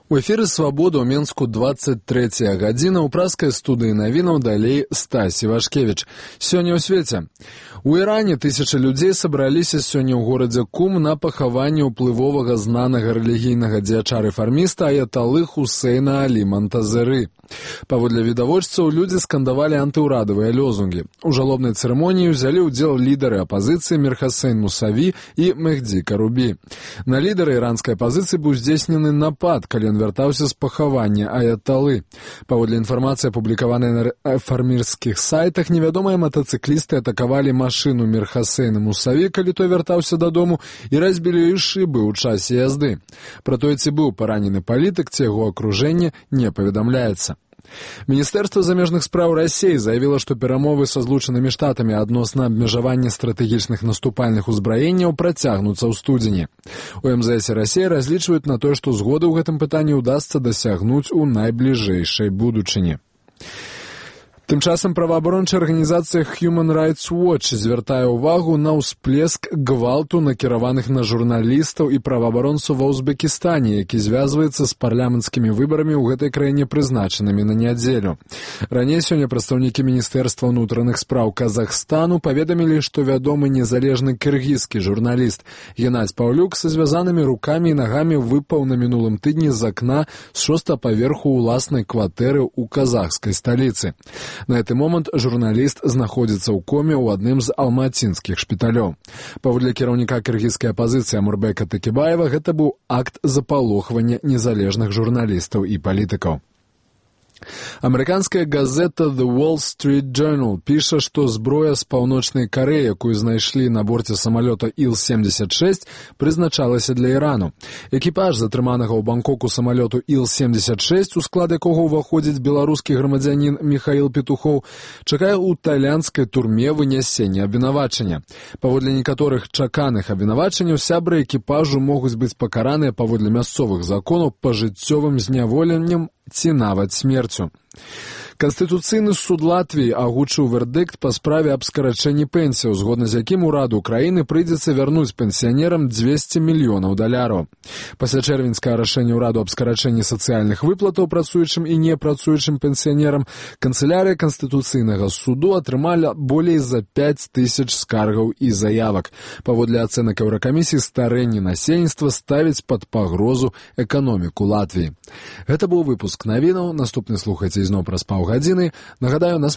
У эфіры «Свабода» ў Менску 23 гадзіна. У праскай студыі навінаў далей Стась Івашкевіч. Сёння ў свеце. У Іране тысячы людзей сабраліся сёння ў горадзе Кум на пахаванне ўплывовага знанага рэлігійнага дзеяча-рэфарміста аяталы Хусейна Алі Монтазеры. Паводле відавочцаў, людзі скандавалі антыўрадавыя лёзунгі. У жалобнай цырымоніі ўзялі ўдзел лідары апазіцыі Мір Хасейн Мусаві і Мехді Карубі. На лідара іранскай апазіцыі быў здзейснены напад, калі ён вяртаўся з пахавання аяталы. Паводле інфармацыі, апублікаванай на рэфармірскіх сайтах, невядомыя матацыклісты атакавалі машыну Мір Хасейна Мусаві, калі той вяртаўся дадому, і разбілі ёй шыбы ў часе язды. Пра тое, ці быў паранены палітык, ці яго акружэнне, не паведамляецца. Міністэрства замежных спраў Расіі заявіла, што перамовы са Злучанымі Штатамі адносна абмежавання стратэгічных наступальных узбраенняў працягнуцца ў студзені. У МЗС Расіі разлічваюць на тое, што згоды ў гэтым пытанні ўдасца дасягнуць у найбліжэйшай будучыні. Тым часам праваабарончая арганізацыя Human Rights Watch звяртае ўвагу на ўсплеск гвалту, накіраваных на журналістаў і праваабаронцаў ва Узбекістане, які звязваецца з парламенцкімі выбарамі ў гэтай краіне, прызначанымі на нядзелю. Раней сёння прадстаўнікі Міністэрства ўнутраных спраў Казахстану паведамілі, што вядомы незалежны кыргызскі журналіст Геннадзь Паўлюк са звязанымі рукамі і нагамі выпаў на мінулым тыдні з акна з 6-го паверху ўласнай кватэры ў казахскай сталіцы. На гэты момант журналіст знаходзіцца ў коме ў адным з алматинскіх шпіталёў. Паводле кіраўніка кыргызскай апазіцыі Амурбека Такібаева, гэта быў акт запалохвання незалежных журналістаў і палітыкаў. Амерыканская газета The Wall Street Journal піша, што зброя з паўночнай Карэі, якую знайшлі на борце самалёта Іл-76, прызначалася для Ірану. Экіпаж затрыманага ў Бангкоку самалёту Іл-76, у склад якога ўваходзіць беларускі грамадзянін Міхаіл Петухоў, чакае ў тайландскай турме вынясення абвінавачання. Паводле некаторых чаканых абвінавачанняў, сябры экіпажу могуць быць пакараныя паводле мясцовых законаў пажыццёвым зняволеннем ці нават смерцю. Канстытуцыйны суд Латвіі агучыў вердыкт па справе аб скарачэнні пенсіяў, згодна з якім ураду краіны прыйдзецца вярнуць пенсіянерам $200 мільёнаў. Пасля чэрвеньскага рашэння ўраду аб скарачэнні сацыяльных выплатаў працуючым і непрацуючым пенсіянерам, канцылярыя Канстытуцыйнага суду атрымала болей за 5000 скаргаў і заявак. Паводле ацэнак Еўракамісіі, старэнне насельніцтва ставіць пад пагрозу эканоміку Латвіі. Гэта быў выпуск навінаў. Наступны слухайце ізноў праз паўгадзіны. Нагадаю, нас